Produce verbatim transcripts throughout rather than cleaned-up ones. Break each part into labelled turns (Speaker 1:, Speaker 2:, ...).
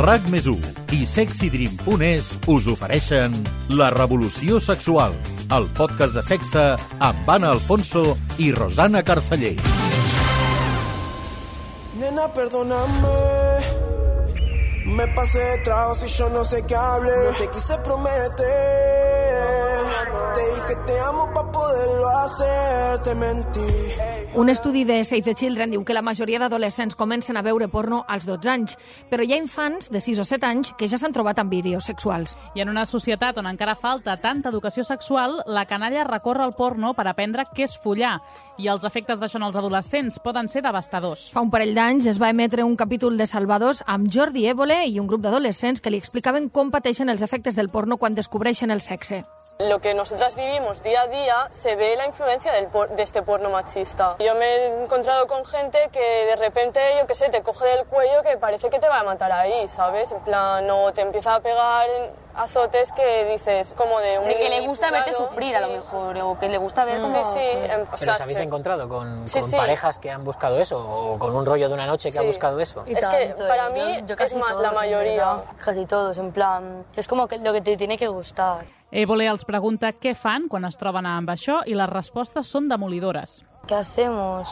Speaker 1: RAC més u i sexydream punt es us ofereixen La Revolució Sexual, el podcast de sexe amb Anna Alfonso i Rosana Carceller.
Speaker 2: Nena, perdóname, me pasé de tragos y yo no sé qué hable. No te quise prometer, te dije te amo pa' poderlo hacer, te mentí.
Speaker 3: Un estudi de Save the Children diu que la majoria d'adolescents comencen a veure porno als dotze anys, però hi ha infants de sis o set anys que ja s'han trobat amb vídeos sexuals.
Speaker 4: I en una societat on encara falta tanta educació sexual, la canalla recorre al porno per aprendre què és follar, i els efectes d'això en els adolescents poden ser devastadors.
Speaker 3: Fa un parell d'anys es va emetre un capítol de Salvadors amb Jordi Évole i un grup d'adolescents que li explicaven com pateixen els efectes del porno quan descobreixen el sexe.
Speaker 5: Lo que nosotras vivimos día a día se ve la influencia del por de este porno machista. Yo me he encontrado con gente que de repente, yo qué sé, te coge del cuello que parece que te va a matar ahí, ¿sabes? En plan, no te empieza a pegar azotes que dices como de un...
Speaker 6: De que le gusta claro, verte sufrir sí. A lo mejor, o que le gusta ver como...
Speaker 5: Sí, sí.
Speaker 7: ¿Pero
Speaker 5: o sea,
Speaker 7: os habéis
Speaker 5: sí.
Speaker 7: encontrado con,
Speaker 5: sí,
Speaker 7: con
Speaker 5: sí.
Speaker 7: parejas que han buscado eso? ¿O con un rollo de una noche que
Speaker 5: sí.
Speaker 7: ha buscado eso?
Speaker 5: Es que para mí yo, yo es más todos, la mayoría.
Speaker 6: Casi todos, en plan... Es como que lo que te tiene que gustar.
Speaker 4: Évole els pregunta què fan quan es troben amb això i les respostes són demolidores.
Speaker 6: ¿Qué hacemos?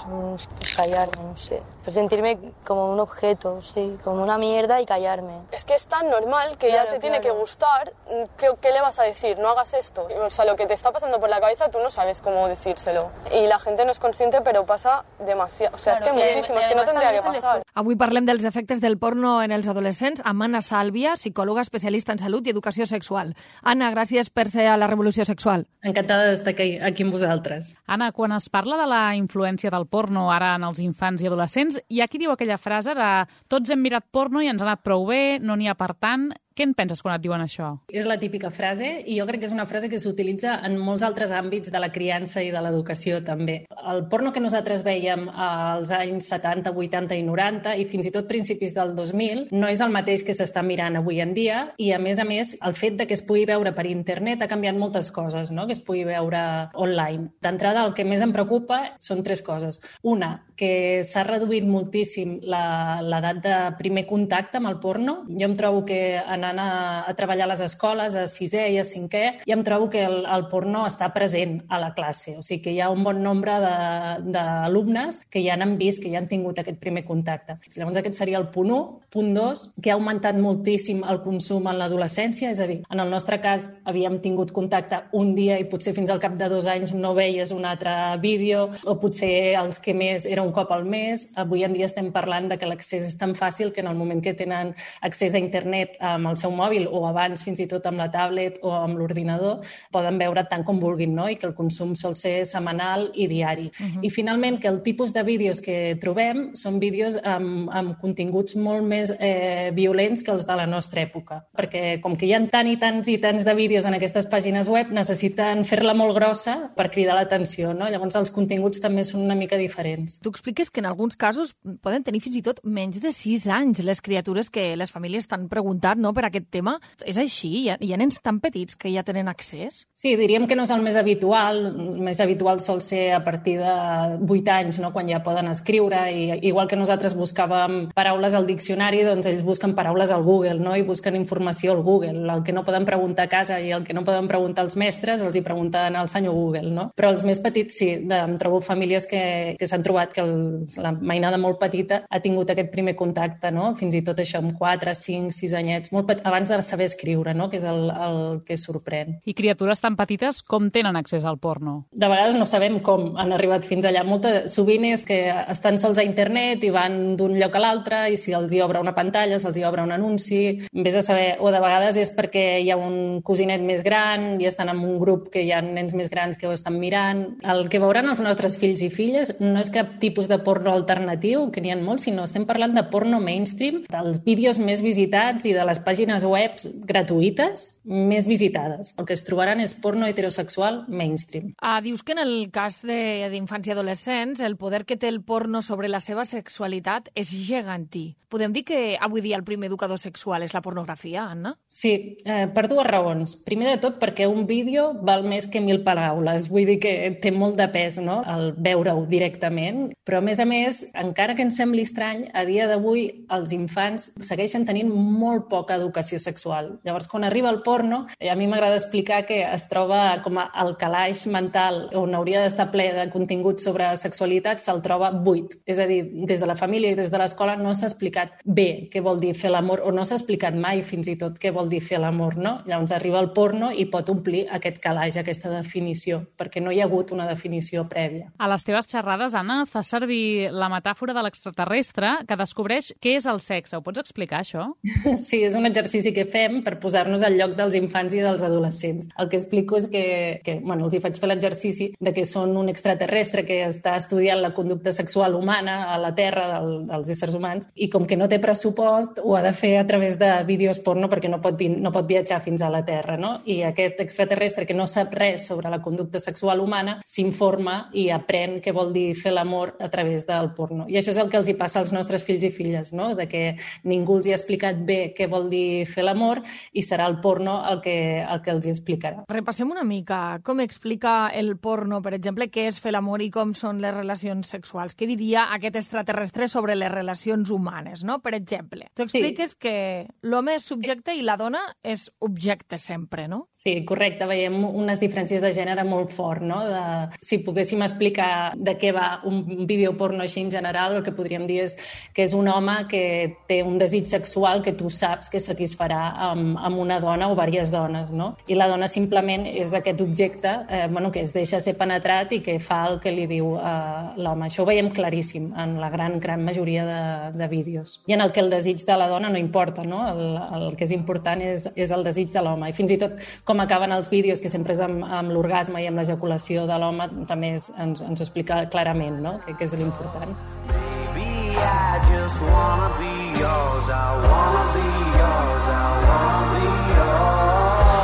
Speaker 6: Callarme, no sé. Sentirme como un objeto, sí, como una mierda y callarme.
Speaker 5: Es que es tan normal que claro, ya te tiene claro. que gustar. ¿Qué, ¿Qué le vas a decir? No hagas esto. O sea, lo que te está pasando por la cabeza tú no sabes cómo decírselo. Y la gente no es consciente, pero pasa demasiado. O sea, claro, es que sí, muchísimo, es que no tendría que pasar.
Speaker 3: Avui parlem dels efectes del porno en els adolescents amb Anna Sàlvia, psicòloga especialista en salut i educació sexual. Anna, gràcies per ser a La Revolució Sexual.
Speaker 8: Encantada d'estar aquí, aquí amb vosaltres.
Speaker 4: Anna, quan es parla de la influència del porno ara en els infants i adolescents, hi ha qui diu aquella frase de tots hem mirat porno i ens ha anat prou bé, no n'hi ha per tant. Què en penses quan et diuen això?
Speaker 8: És la típica frase i jo crec que és una frase que s'utilitza en molts altres àmbits de la criança i de l'educació també. El porno que nosaltres veiem als anys setanta, vuitanta i noranta i fins i tot principis del dos mil no és el mateix que s'està mirant avui en dia i a més a més el fet de que es pugui veure per internet ha canviat moltes coses, no? Que es pugui veure online. D'entrada el que més em preocupa són tres coses. Una, que s'ha reduït moltíssim l'edat de primer contacte amb el porno. Jo em trobo que en anant a, a treballar a les escoles, a sisè i a cinquè, i em trobo que el, el porno està present a la classe. O sigui que hi ha un bon nombre d'alumnes que ja n'han vist, que ja han tingut aquest primer contacte. Llavors aquest seria el punt u. Punt dos, que ha augmentat moltíssim el consum en l'adolescència, és a dir, en el nostre cas havíem tingut contacte un dia i potser fins al cap de dos anys no veies un altre vídeo, o potser els que més era un cop al mes. Avui en dia estem parlant de que l'accés és tan fàcil que en el moment que tenen accés a internet amb el seu mòbil o abans fins i tot amb la tablet o amb l'ordinador, poden veure tant com vulguin, no? I que el consum sol ser setmanal i diari. Uh-huh. I finalment que el tipus de vídeos que trobem són vídeos amb, amb continguts molt més eh, violents que els de la nostra època, perquè com que hi ha tant i tants i tants de vídeos en aquestes pàgines web, necessiten fer-la molt grossa per cridar l'atenció, no? Llavors els continguts també són una mica diferents.
Speaker 3: Tu expliques que en alguns casos poden tenir fins i tot menys de sis anys les criatures que les famílies t'han preguntat, no?, per aquest tema. És així? Hi ha, hi ha nens tan petits que ja tenen accés?
Speaker 8: Sí, diríem que no és el més habitual. El més habitual sol ser a partir de vuit anys, no?, quan ja poden escriure. I igual que nosaltres buscàvem paraules al diccionari, doncs ells busquen paraules al Google, no?, i busquen informació al Google. El que no poden preguntar a casa i el que no poden preguntar als mestres els hi pregunten al senyor Google, no? Però els més petits sí, de, em trobo famílies que, que s'han trobat que el, la mainada molt petita ha tingut aquest primer contacte, no?, fins i tot això amb quatre, cinc, sis anyets, molt petit, abans de saber escriure, no?, que és el, el que sorprèn.
Speaker 4: I criatures tan petites com tenen accés al porno?
Speaker 8: De vegades no sabem com han arribat fins allà. Molta, sovint és que estan sols a internet i van d'un lloc a l'altre i si els hi obre una pantalla, se'ls hi obre un anunci, vés a saber, o de vegades és perquè hi ha un cosinet més gran i estan en un grup que hi ha nens més grans que ho estan mirant. El que veuran els nostres fills i filles no és cap tipus de porno alternatiu, que n'hi ha molts, sinó estem parlant de porno mainstream, dels vídeos més visitats i de les pàgines pàgines web gratuïtes més visitades. El que es trobaran és porno heterosexual mainstream.
Speaker 3: Ah, dius que en el cas d'infants i adolescents el poder que té el porno sobre la seva sexualitat és gegantí. Podem dir que avui dia el primer educador sexual és la pornografia, Anna?
Speaker 8: Sí, eh, per dues raons. Primer de tot perquè un vídeo val més que mil paraules. Vull dir que té molt de pes, no?, el veure-ho directament. Però, a més a més, encara que ens sembli estrany, a dia d'avui els infants segueixen tenint molt poca educació sexual. Llavors, quan arriba el porno, a mi m'agrada explicar que es troba com el calaix mental on hauria d'estar ple de contingut sobre sexualitat, se'l troba buit. És a dir, des de la família i des de l'escola no s'ha explicat bé què vol dir fer l'amor, o no s'ha explicat mai fins i tot què vol dir fer l'amor, no? Llavors arriba el porno i pot omplir aquest calaix, aquesta definició, perquè no hi ha hagut una definició prèvia.
Speaker 4: A les teves xerrades, Anna, fa servir la metàfora de l'extraterrestre que descobreix què és el sexe. Ho pots explicar, això?
Speaker 8: Sí, és un exercici que fem per posar-nos al lloc dels infants i dels adolescents. El que explico és que, que bueno, els hi faig fer l'exercici de que són un extraterrestre que està estudiant la conducta sexual humana a la Terra del, dels éssers humans i com que no té pressupost ho ha de fer a través de vídeos porno perquè no pot, no pot viatjar fins a la Terra, no? I aquest extraterrestre que no sap res sobre la conducta sexual humana s'informa i aprèn què vol dir fer l'amor a través del porno. I això és el que els hi passa als nostres fills i filles, no? De que ningú els hi ha explicat bé què vol dir fer l'amor i serà el porno el que, el que els hi explicarà.
Speaker 3: Repassem una mica com explica el porno, per exemple, què és fer l'amor i com són les relacions sexuals. Què diria aquest extraterrestre sobre les relacions humanes, no? Per exemple, tu expliques sí. que l'home és subjecte i la dona és objecte sempre, no?
Speaker 8: Sí, correcte. Veiem unes diferències de gènere molt fort, no? De, si poguéssim explicar de què va un vídeo porno així en general, el que podríem dir és que és un home que té un desig sexual que tu saps que satisfarà amb, amb una dona o diverses dones, no? I la dona simplement és aquest objecte eh, bueno, que es deixa ser penetrat i que fa el que li diu eh, l'home. Això ho veiem claríssim en la gran, gran majoria de, de vídeos. I en el que el desig de la dona no importa, no? El, el que és important és, és el desig de l'home. I fins i tot com acaben els vídeos, que sempre és amb, amb l'orgasme i amb l'ejaculació de l'home, també és, ens, ens ho explica clarament, no? Que, que és l'important.
Speaker 2: Baby, I just wanna be yours, I wanna be yours, I wanna be yours,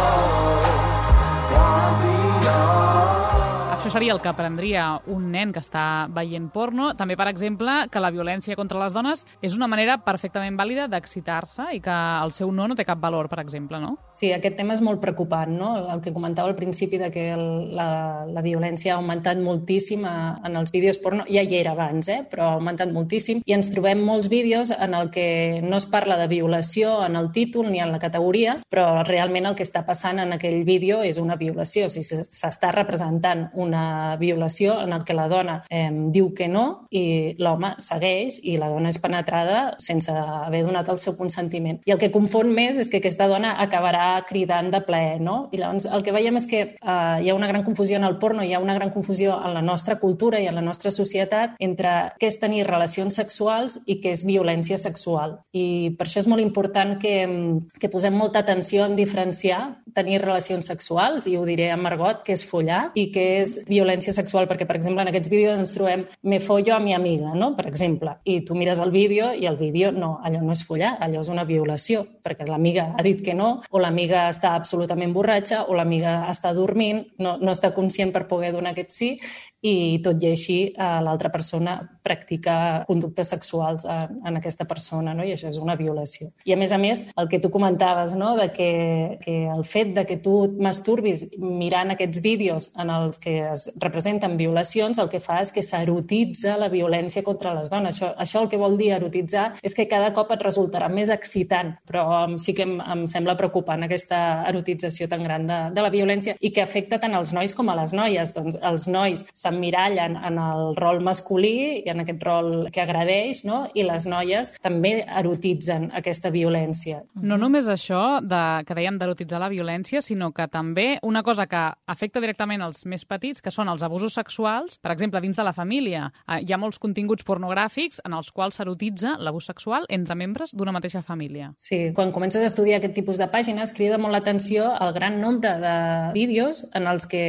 Speaker 2: wanna be yours.
Speaker 4: Això seria el que aprendria un nen que està veient porno. També, per exemple, que la violència contra les dones és una manera perfectament vàlida d'excitar-se i que el seu no no té cap valor, per exemple, no?
Speaker 8: Sí, aquest tema és molt preocupant, no? El que comentava al principi de que el, la, la violència ha augmentat moltíssim a, en els vídeos porno. Ja hi era abans, eh? Però ha augmentat moltíssim. I ens trobem molts vídeos en el que no es parla de violació en el títol ni en la categoria, però realment el que està passant en aquell vídeo és una violació. O sigui, s'està representant una una violació en el que la dona eh, diu que no i l'home segueix i la dona és penetrada sense haver donat el seu consentiment. I el que confon més és que aquesta dona acabarà cridant de plaer, no? I llavors el que veiem és que eh, hi ha una gran confusió en el porno, hi ha una gran confusió en la nostra cultura i en la nostra societat entre què és tenir relacions sexuals i què és violència sexual. I per això és molt important que, que posem molta atenció en diferenciar tenir relacions sexuals, i ho diré en argot, que és follar i que és violència sexual, perquè, per exemple, en aquests vídeos ens trobem me follo a mi amiga, no?, per exemple, i tu mires el vídeo i el vídeo, no, allò no és follar, allò és una violació, perquè l'amiga ha dit que no, o l'amiga està absolutament borratxa, o l'amiga està dormint, no, no està conscient per poder donar aquest sí, i tot i així eh, l'altra persona practica conductes sexuals en, en aquesta persona, no? I això és una violació. I a més a més, el que tu comentaves, no?, de que, que el fet de que tu et masturbis mirant aquests vídeos en els que es representen violacions, el que fa és que s'erotitza la violència contra les dones. Això, això el que vol dir erotitzar és que cada cop et resultarà més excitant, però um, sí que em, em sembla preocupant aquesta erotització tan gran de, de la violència i que afecta tant als nois com a les noies. Doncs els nois s'emmirallen en el rol masculí i en aquest rol que agradeix, no? I les noies també erotitzen aquesta violència.
Speaker 4: No només això de, que dèiem d'erotitzar la violència, sinó que també una cosa que afecta directament els més petits, que són els abusos sexuals, per exemple, dins de la família. Hi ha molts continguts pornogràfics en els quals s'erotitza l'abús sexual entre membres d'una mateixa família.
Speaker 8: Sí, quan comences a estudiar aquest tipus de pàgines crida molt l'atenció el gran nombre de vídeos en els que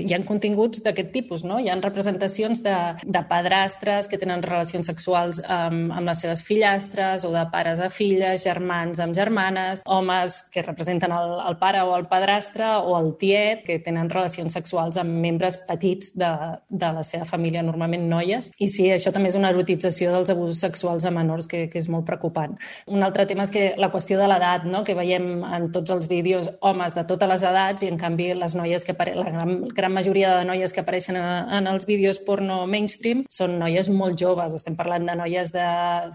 Speaker 8: hi ha continguts d'aquest tipus, no? Hi ha representacions de, de padrastres que tenen relacions sexuals amb, amb les seves fillastres, o de pares a filles, germans amb germanes, homes que representen el, el pare o el padrastre, o el tiet, que tenen relacions sexuals amb membres petits de, de la seva família, normalment noies. I sí, això també és una erotització dels abusos sexuals a menors que, que és molt preocupant. Un altre tema és que la qüestió de l'edat, no? Que veiem en tots els vídeos homes de totes les edats i, en canvi, les noies que apare... la gran, gran majoria de noies que apareixen en, en els vídeos porno mainstream són noies molt joves. Estem parlant de noies de,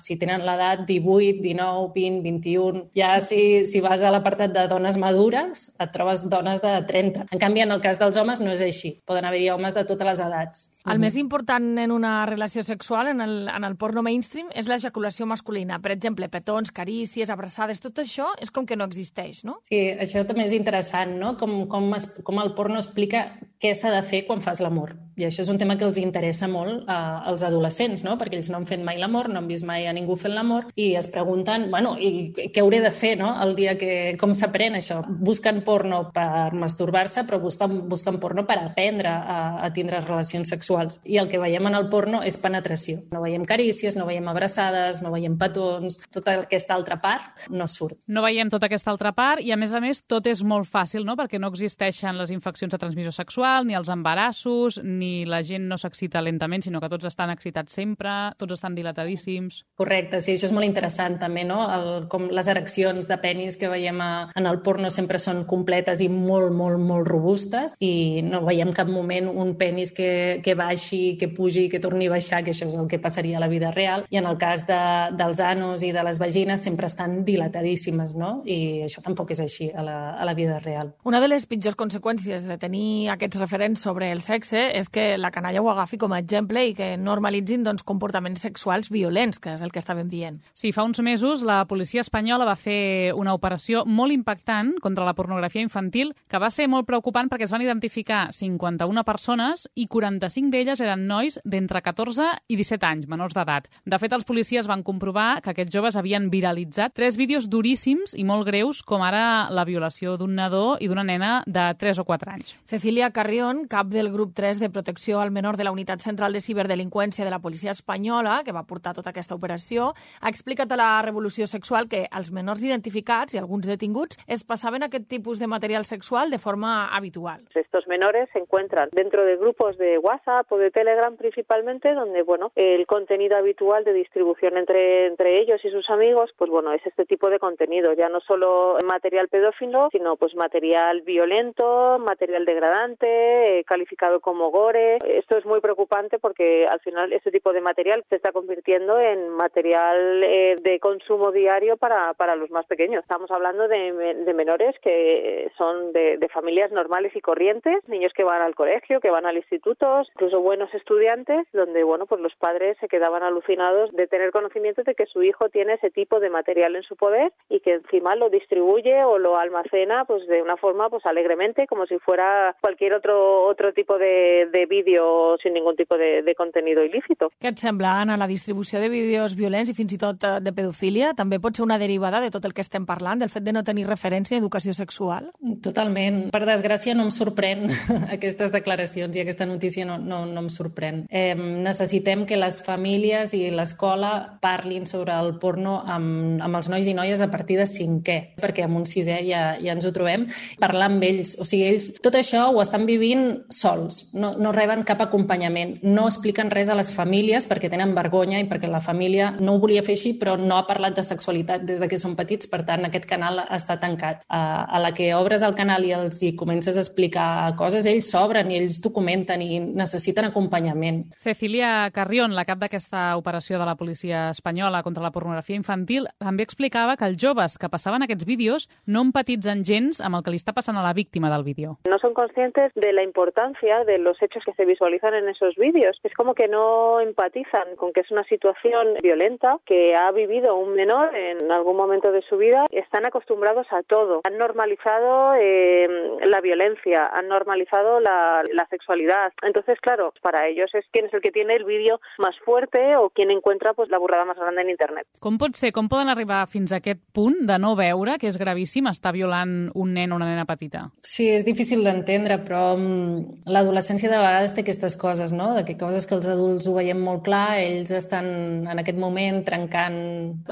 Speaker 8: si tenen l'edat, divuit, dinou, vint, vint-i-un. Ja si, si vas a l'apartat de dones madures, et trobes dones de trenta. En canvi, en el cas dels homes no és així. Poden haver-hi homes de totes les edats.
Speaker 3: El més important en una relació sexual, en el, en el porno mainstream, és l'ejaculació masculina. Per exemple, petons, carícies, abraçades, tot això és com que no existeix, no?
Speaker 8: Sí, això també és interessant, no? Com, com, es, com el porno explica què s'ha de fer quan fas l'amor. I això és un tema que els interessa molt eh, als adolescents, no? Perquè ells no han fet mai l'amor, no han vist mai a ningú fent l'amor, i es pregunten, bueno, i què hauré de fer, no? El dia que... Com s'aprèn això? Busquen porno per masturbar-se, però busquen, busquen porno per aprendre a, a tindre relacions sexuals. I el que veiem en el porno és penetració. No veiem carícies, no veiem abraçades, no veiem petons, tota aquesta altra part no surt.
Speaker 4: No veiem tota aquesta altra part i, a més a més, tot és molt fàcil, no? Perquè no existeixen les infeccions de transmissió sexual, ni els embarassos, ni la gent no s'excita lentament, sinó que tots estan excitats sempre, tots estan dilatadíssims.
Speaker 8: Correcte, sí, això és molt interessant també, no? El, com les ereccions de penis que veiem a, en el porno sempre són completes i molt, molt, molt robustes, i no veiem cap moment un penis que, que baixi, que pugi, que torni a baixar, que això és el que passaria a la vida real, i en el cas de, dels anos i de les vagines sempre estan dilatadíssimes, no? I això tampoc és així a la, a la vida real.
Speaker 3: Una de les pitjors conseqüències de tenir aquests referents sobre el sexe és que la canalla ho agafi com a exemple i que normalitzin doncs, comportaments sexuals violents, que és el que estàvem dient.
Speaker 4: Sí, fa uns mesos la policia espanyola va fer una operació molt impactant contra la pornografia infantil, que va ser molt preocupant perquè es van identificar cinquanta-una persones i quaranta-cinc d'elles eren nois d'entre catorze i disset anys, menors d'edat. De fet, els policies van comprovar que aquests joves havien viralitzat tres vídeos duríssims i molt greus, com ara la violació d'un nadó i d'una nena de tres o quatre anys.
Speaker 3: Cecilia Carrión, cap del grup tres de protecció al menor de la Unitat Central de Ciberdelinqüència de la policia espanyola, que va portar tota aquesta operació, ha explicat a la Revolució Sexual que els menors identificats i alguns detinguts es passaven aquest tipus de material sexual de forma habitual.
Speaker 9: Estos menores se encuentran dentro de grupos de WhatsApp o de Telegram principalmente, donde bueno, el contenido habitual de distribución entre, entre ellos y sus amigos, pues bueno, es este tipo de contenido, ya no solo material pedófilo, sino pues material violento, material degradante, eh, calificado como gore. Esto es muy preocupante porque al final este tipo de material se está convirtiendo en material eh, de consumo diario para, para los más pequeños. Estamos hablando de, de menores que son de, de familias normales y corrientes, niños que van al colegio, que van al instituto, incluso buenos estudiantes, donde bueno, pues los padres se quedaban alucinados de tener conocimiento de que su hijo tiene ese tipo de material en su poder y que encima lo distribuye o lo almacena pues de una forma pues alegremente, como si fuera cualquier otro otro tipo de, de vídeo sin ningún tipo de, de contenido ilícito.
Speaker 3: Què et sembla, Anna, la distribució de vídeos violents i fins i tot de pedofília també pot ser una derivada de tot el que estem parlant, del fet de no tenir referència a educació sexual?
Speaker 8: Totalment. Per desgràcia no em sorprèn aquestes declaracions i aquesta notícia no, no, no em sorprèn. Eh, necessitem que les famílies i l'escola parlin sobre el porno amb, amb els nois i noies a partir de cinquè, perquè amb un sisè ja, ja ens ho trobem, parlar amb ells. O sigui, ells tot això ho estan vivint sols, no, no reben cap acompanyament, no expliquen res a les famílies perquè tenen vergonya i perquè la família no ho volia fer així, però no ha parlat de sexualitat des de que són petits, per tant aquest canal està tancat. A, a la que obres el canal i els hi comences a explicar coses, ells s'obren i ells documenten i necessiten acompanyament.
Speaker 4: Cecilia Carrión, la cap d'aquesta operació de la policia espanyola contra la pornografia infantil, també explicava que els joves que passaven aquests vídeos no empatitzen gens amb el que li està passant a la víctima del vídeo.
Speaker 9: No son conscientes de la importancia de los hechos hechos que se visualizan en esos vídeos. Es como que no empatizan con que es una situación violenta que ha vivido un menor en algún momento de su vida. Están acostumbrados a todo. Han normalizado eh, la violencia, han normalizado la, la sexualidad. Entonces, claro, para ellos es quién es el que tiene el vídeo más fuerte o quién encuentra pues, la burrada más grande en internet.
Speaker 4: Com pot ser, com poden arribar fins a aquest punt de no veure que és gravíssim estar violant un nen o una nena petita?
Speaker 8: Sí, és difícil d'entendre, però um, l'adolescència de vegades té aquestes coses, no? De que coses que els adults ho veiem molt clar, ells estan en aquest moment trencant,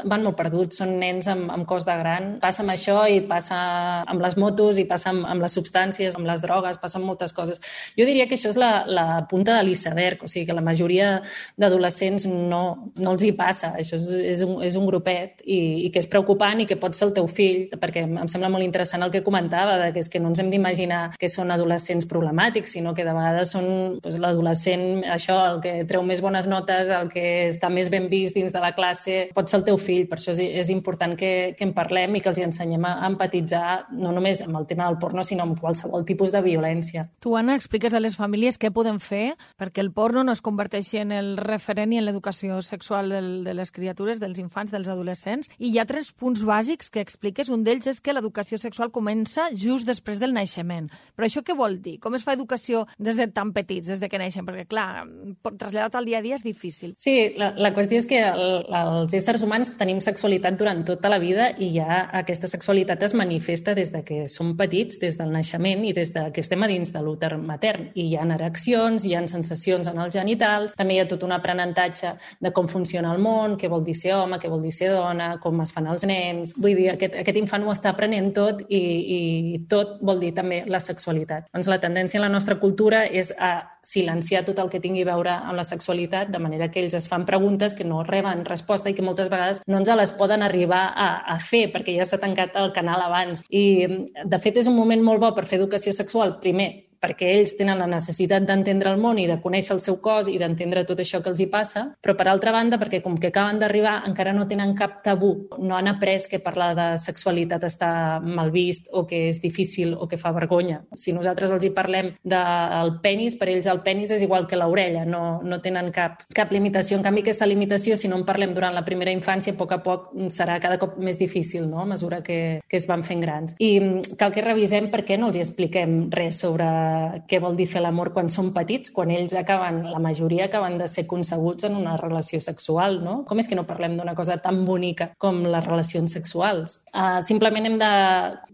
Speaker 8: van molt perduts, són nens amb, amb cos de gran. Passa amb això i passa amb les motos i passa amb, amb les substàncies, amb les drogues, passa amb moltes coses. Jo diria que això és la, la punta de l'iceberg, o sigui que la majoria d'adolescents no, no els hi passa. Això és, és, un, és un grupet i, i que és preocupant i que pot ser el teu fill, perquè em sembla molt interessant el que comentava, de que és que no ens hem d'imaginar que són adolescents problemàtics, sinó que de vegades són doncs, l'adolescent, això, el que treu més bones notes, el que està més ben vist dins de la classe, pot ser el teu fill. Per això és, és important que, que en parlem i que els hi ensenyem a empatitzar no només amb el tema del porno, sinó amb qualsevol tipus de violència.
Speaker 3: Tu, Anna, expliques a les famílies què poden fer perquè el porno no es converteixi en el referent i en l'educació sexual del, de les criatures, dels infants, dels adolescents. I hi ha tres punts bàsics que expliques. Un d'ells és que l'educació sexual comença just després del naixement. Però això què vol dir? Com es fa educació des de tan petits, des de que neixen? Perquè, clar, traslladar-ho al dia a dia és difícil.
Speaker 8: Sí, la, la qüestió és que el, els éssers humans tenim sexualitat durant tota la vida i ja aquesta sexualitat es manifesta des de que som petits, des del naixement i des de que estem a dins de l'úter matern. I hi ha ereccions, hi ha sensacions en els genitals, també hi ha tot un aprenentatge de com funciona el món, què vol dir ser home, què vol dir ser dona, com es fan els nens. Vull dir, aquest, aquest infant ho està aprenent tot i, i tot vol dir també la sexualitat. Doncs la tendència en la nostra cultura és a silenciar tot el que tingui a veure amb la sexualitat, de manera que ells es fan preguntes que no reben resposta i que moltes vegades no ens les poden arribar a, a fer perquè ja s'ha tancat el canal abans. I, de fet, és un moment molt bo per fer educació sexual, primer, perquè ells tenen la necessitat d'entendre el món i de conèixer el seu cos i d'entendre tot això que els hi passa, però per altra banda, perquè com que acaben d'arribar encara no tenen cap tabú, no han après que parlar de sexualitat està mal vist o que és difícil o que fa vergonya. Si nosaltres els hi parlem del penis, per ells el penis és igual que l'orella, no, no tenen cap, cap limitació. En canvi, aquesta limitació, si no en parlem durant la primera infància, a poc a poc serà cada cop més difícil, no?, a mesura que, que es van fent grans. I cal que revisem per què no els hi expliquem res sobre què vol dir fer l'amor quan són petits, quan ells acaben, la majoria acaben de ser concebuts en una relació sexual, no? Com és que no parlem d'una cosa tan bonica com les relacions sexuals? Uh, simplement hem de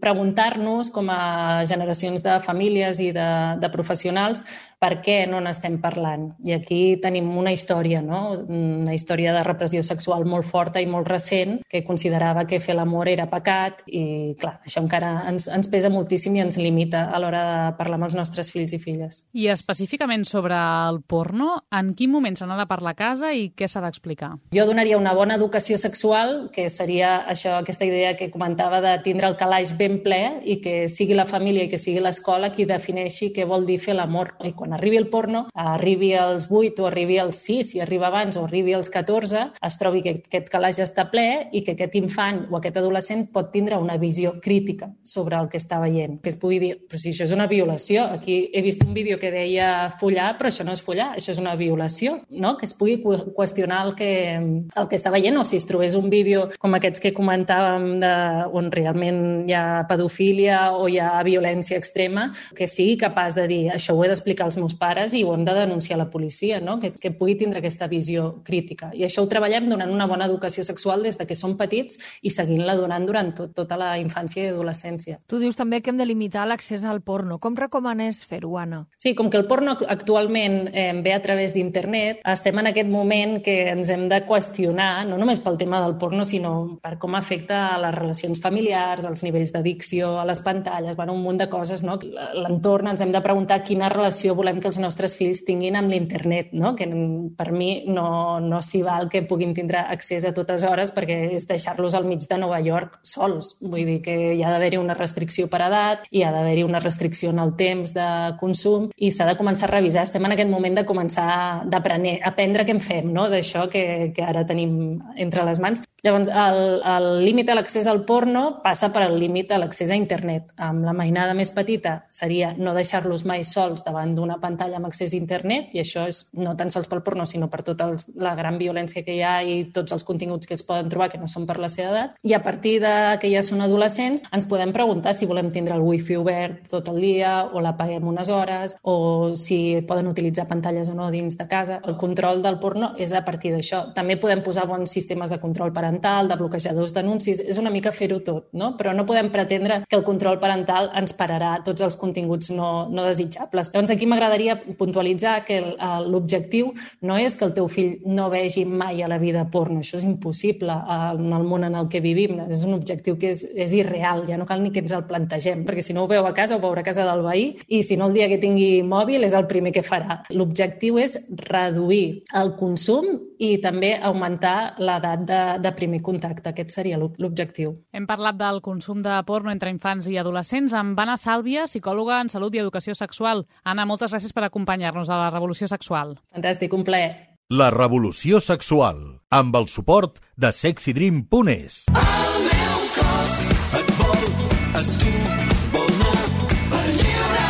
Speaker 8: preguntar-nos, com a generacions de famílies i de, de professionals, per què no n'estem parlant. I aquí tenim una història, no? Una història de repressió sexual molt forta i molt recent, que considerava que fer l'amor era pecat i, clar, això encara ens, ens pesa moltíssim i ens limita a l'hora de parlar amb els nostres fills i filles.
Speaker 4: I específicament sobre el porno, en quin moment se n'ha de parlar a casa i què s'ha d'explicar?
Speaker 8: Jo donaria una bona educació sexual, que seria això, aquesta idea que comentava de tindre el calaix ben ple i que sigui la família i que sigui l'escola qui defineixi què vol dir fer l'amor. I quan arribi el porno, arribi als vuit o arribi als sis, si arriba abans o arribi als catorze, es trobi que aquest calaix està ple i que aquest infant o aquest adolescent pot tindre una visió crítica sobre el que està veient. Que es pugui dir, però si això és una violació, aquí he vist un vídeo que deia follar, però això no és follar, això és una violació, no? Que es pugui qüestionar el que, el que està veient, o si es trobés un vídeo com aquests que comentàvem de, on realment hi ha pedofília o hi ha violència extrema, que sigui capaç de dir, això ho he d'explicar als meus pares i ho hem de denunciar a la policia, no? Que, que pugui tindre aquesta visió crítica. I això ho treballem donant una bona educació sexual des de que són petits i seguint-la donant durant tot, tota la infància i adolescència.
Speaker 3: Tu dius també que hem de limitar l'accés al porno. Com recomanes fer-ho, Anna?
Speaker 8: Sí, com que el porno actualment eh, ve a través d'internet, estem en aquest moment que ens hem de qüestionar, no només pel tema del porno, sinó per com afecta a les relacions familiars, als nivells d'addicció, a les pantalles, bueno, un munt de coses, no? L'entorn, ens hem de preguntar quina relació volem que els nostres fills tinguin amb l'internet, no? Que per mi no, no s'hi val que puguin tindre accés a totes hores perquè és deixar-los al mig de Nova York sols. Vull dir que hi ha d'haver-hi una restricció per edat, hi ha d'haver-hi una restricció en el temps de consum i s'ha de començar a revisar. Estem en aquest moment de començar d'aprendre, aprendre què en fem, no? D'això que, que ara tenim entre les mans. Llavors, el, el límit a l'accés al porno passa per el límit a l'accés a internet. Amb la mainada més petita seria no deixar-los mai sols davant d'una pantalla amb accés a internet, i això és no tan sols pel porno, sinó per tota els, la gran violència que hi ha i tots els continguts que es poden trobar que no són per la seva edat. I a partir de que ja són adolescents, ens podem preguntar si volem tindre el wifi obert tot el dia o l'apaguem unes hores, o si poden utilitzar pantalles o no dins de casa. El control del porno és a partir d'això. També podem posar bons sistemes de control parental, de bloquejadors d'anuncis, és una mica fer-ho tot, no? Però no podem pretendre que el control parental ens pararà tots els continguts no, no desitjables. Llavors aquí m'agradaria puntualitzar que l'objectiu no és que el teu fill no vegi mai a la vida porno, això és impossible en el món en el que vivim, és un objectiu que és, és irreal, ja no cal ni que ens el plantegem, perquè si no ho veu a casa, ho veurà a casa del veí, i si no el dia que tingui mòbil és el primer que farà. L'objectiu és reduir el consum i també augmentar l'edat de, de primer contacte. Aquest seria l'objectiu.
Speaker 4: Hem parlat del consum de porno entre infants i adolescents amb Anna Sàlvia, psicòloga en salut i educació sexual. Anna, moltes gràcies per acompanyar-nos a la Revolució Sexual.
Speaker 8: Fantàstic, un plaer.
Speaker 1: La Revolució Sexual, amb el suport de sexy dream punt es.
Speaker 2: El meu cos et vol, a tu vol anar per lliure.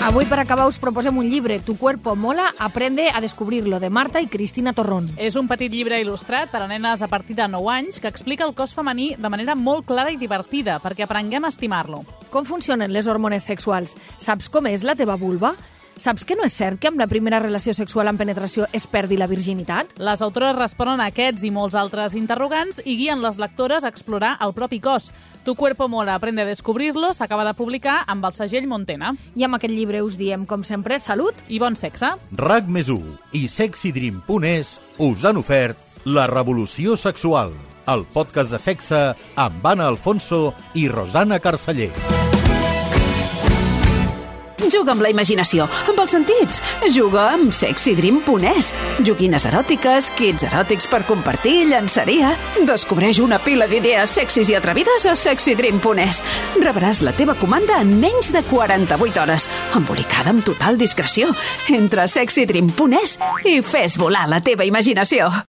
Speaker 3: Avui, per acabar, us proposem un llibre, Tu cuerpo mola, aprende a descubrirlo, de Marta i Cristina Torrón.
Speaker 4: És un petit llibre il·lustrat per a nenes a partir de nou anys que explica el cos femení de manera molt clara i divertida perquè aprenguem a estimar-lo.
Speaker 3: Com funcionen les hormones sexuals? Saps com és la teva vulva? Saps que no és cert que amb la primera relació sexual amb penetració es perdi la virginitat?
Speaker 4: Les autores responen a aquests i molts altres interrogants i guien les lectores a explorar el propi cos. Tu cuerpo mola, aprende a descobrirlo, s'acaba de publicar amb el segell Montena.
Speaker 3: I amb aquest llibre us diem, com sempre, salut
Speaker 4: i bon sexe.
Speaker 1: RAC més u i sexy dream punt es us han ofert La Revolució Sexual, el podcast de sexe amb Anna Alfonso i Rosana Carceller.
Speaker 10: Juga amb la imaginació, amb els sentits. Juga amb sexy dream punt es. Joguines eròtiques, kits eròtics per compartir, llançaria. Descobreix una pila d'idees sexis i atrevides a sexy dream punt es. Rebràs la teva comanda en menys de quaranta-vuit hores, embolicada amb total discreció. Entra a sexy dream punt es i fes volar la teva imaginació.